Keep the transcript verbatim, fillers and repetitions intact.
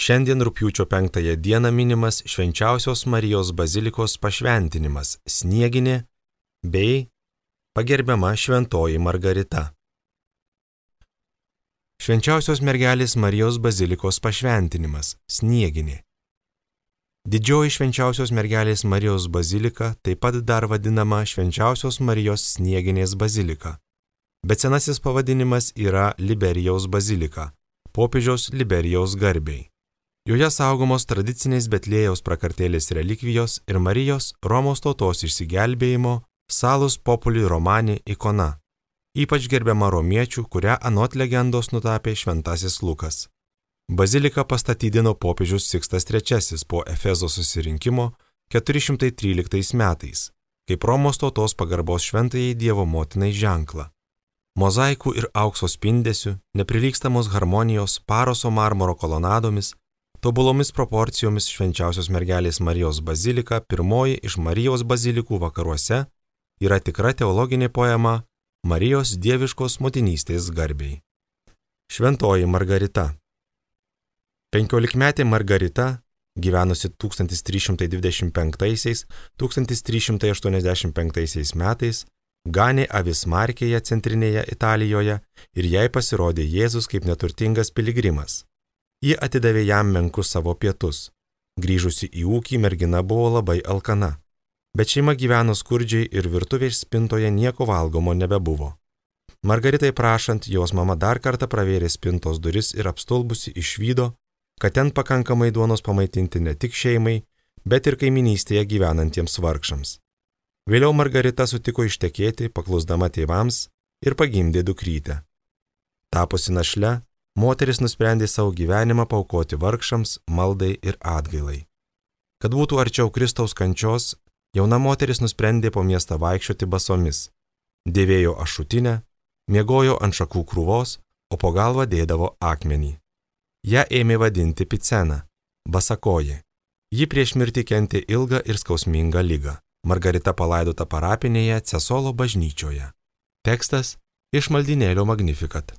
Šiandien rugpjūčio penktąją dieną minimas Švenčiausios Marijos bazilikos pašventinimas Snieginė bei pagerbiama Šventoji Margarita. Švenčiausios mergelės Marijos bazilikos pašventinimas Snieginė. Didžioji Švenčiausios mergelės Marijos bazilika taip pat dar vadinama Švenčiausios Marijos Snieginės bazilika, bet senasis pavadinimas yra Liberijaus bazilika, popiežiaus Liberijaus garbei. Joje saugomos tradicinės Betliejaus prakartėlės relikvijos ir Marijos Romos tautos išsigelbėjimo Salus Populi Romani ikona, ypač gerbiama romiečių, kurią anot legendos nutapė šventasis Lukas. Baziliką pastatydino popiežius Sikstas trečiasis po Efezo susirinkimo keturi šimtai tryliktais metais, kaip Romos tautos pagarbos šventajai Dievo motinai ženklą. Mozaikų ir aukso spindesių, neprilygstamos harmonijos, paroso marmuro kolonadomis, tobulomis proporcijomis Švenčiausios mergelės Marijos bazilika, pirmoji iš Marijos bazilikų vakaruose, yra tikra teologinė poema Marijos dieviškos motinystės garbei. Šventoji Margarita. Penkiolikmetė Margarita, gyvenusi tūkstantis trys šimtai dvidešimt penktaisiais - tūkstantis trys šimtai aštuoniasdešimt penktaisiais metais, ganė avis Markėje centrinėje Italijoje ir jai pasirodė Jėzus kaip neturtingas piligrimas. Ji atidavė jam menkus savo pietus. Grįžusi į ūkį, mergina buvo labai alkana, bet šeima gyveno skurdžiai ir virtuvės spintoje nieko valgomo nebebuvo. Margaritai prašant, jos mama dar kartą pravėrė spintos duris ir apstulbusi išvydo, kad ten pakankamai duonos pamaitinti ne tik šeimai, bet ir kaiminystėje gyvenantiems vargšams. Vėliau Margarita sutiko ištekėti, paklusdama tėvams, ir pagimdė dukrytę. Tapusi našle, moteris nusprendė savo gyvenimą paaukoti vargšams, maldai ir atgailai. Kad būtų arčiau Kristaus kančios, jauna moteris nusprendė po miestą vaikščioti basomis, dėvėjo ašutinę, miegojo ant šakų krūvos, o po galvą dėdavo akmenį. Ja ėmė vadinti Picena, basakoji. Ji prieš mirtį kentė ilgą ir skausmingą ligą. Margarita palaidota parapinėje Cesolo bažnyčioje. Tekstas iš maldynėlio Magnificat.